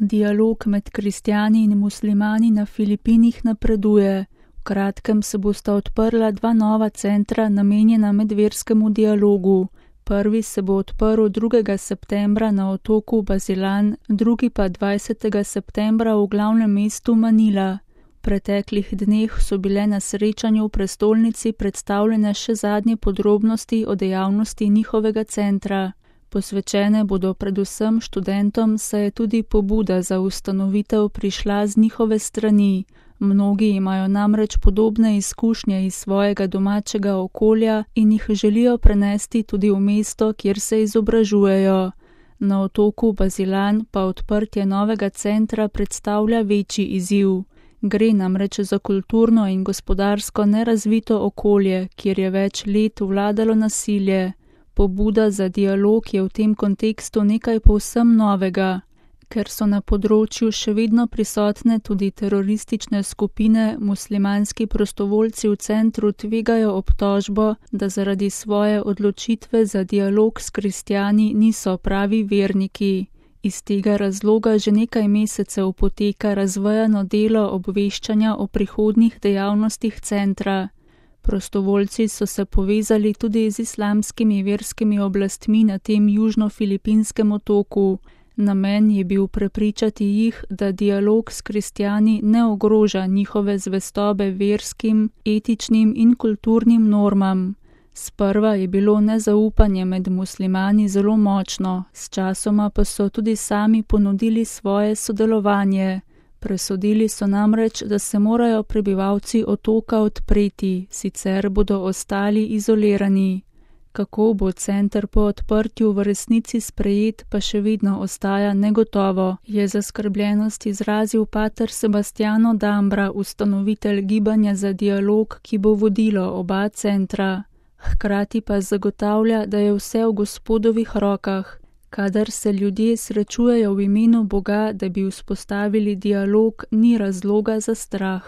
Dialog med kristjani in muslimani na Filipinih napreduje. V kratkem se bosta odprla dva nova centra namenjena medverskemu dialogu. Prvi se bo odprl 2. septembra na otoku Basilan, drugi pa 20. septembra v glavnem mestu Manila. V preteklih dneh so bile na srečanju v prestolnici predstavljene še zadnje podrobnosti o dejavnosti njihovega centra. Posvečene bodo predvsem študentom, saj je tudi pobuda za ustanovitev prišla z njihove strani. Mnogi imajo namreč podobne izkušnje iz svojega domačega okolja in jih želijo prenesti tudi v mesto, kjer se izobražujejo. Na otoku Basilan pa odprtje novega centra predstavlja večji izziv. Gre namreč za kulturno in gospodarsko nerazvito okolje, kjer je več let vladalo nasilje. Pobuda za dialog je v tem kontekstu nekaj povsem novega. Ker so na področju še vedno prisotne tudi teroristične skupine, muslimanski prostovoljci v centru tvegajo obtožbo, da zaradi svoje odločitve za dialog s kristjani niso pravi verniki. Iz tega razloga že nekaj mesecev poteka razvejano delo obveščanja o prihodnjih dejavnostih centra. Prostovoljci so se povezali tudi z islamskimi verskimi oblastmi na tem južno-filipinskem otoku. Namen je bil prepričati jih, da dialog s kristjani ne ogroža njihove zvestobe verskim, etičnim in kulturnim normam. Sprva je bilo nezaupanje med muslimani zelo močno, sčasoma pa so tudi sami ponudili svoje sodelovanje. Presodili so namreč, da se morajo prebivalci otoka odpreti, sicer bodo ostali izolirani. Kako bo center po odprtju v resnici sprejet, pa še vedno ostaja negotovo, je zaskrbljenost izrazil pater Sebastiano Dambra, ustanovitelj gibanja za dialog, ki bo vodilo oba centra. Hkrati pa zagotavlja, da je vse v Gospodovih rokah. Kadar se ljudje srečujejo v imenu Boga, da bi vzpostavili dialog, ni razloga za strah.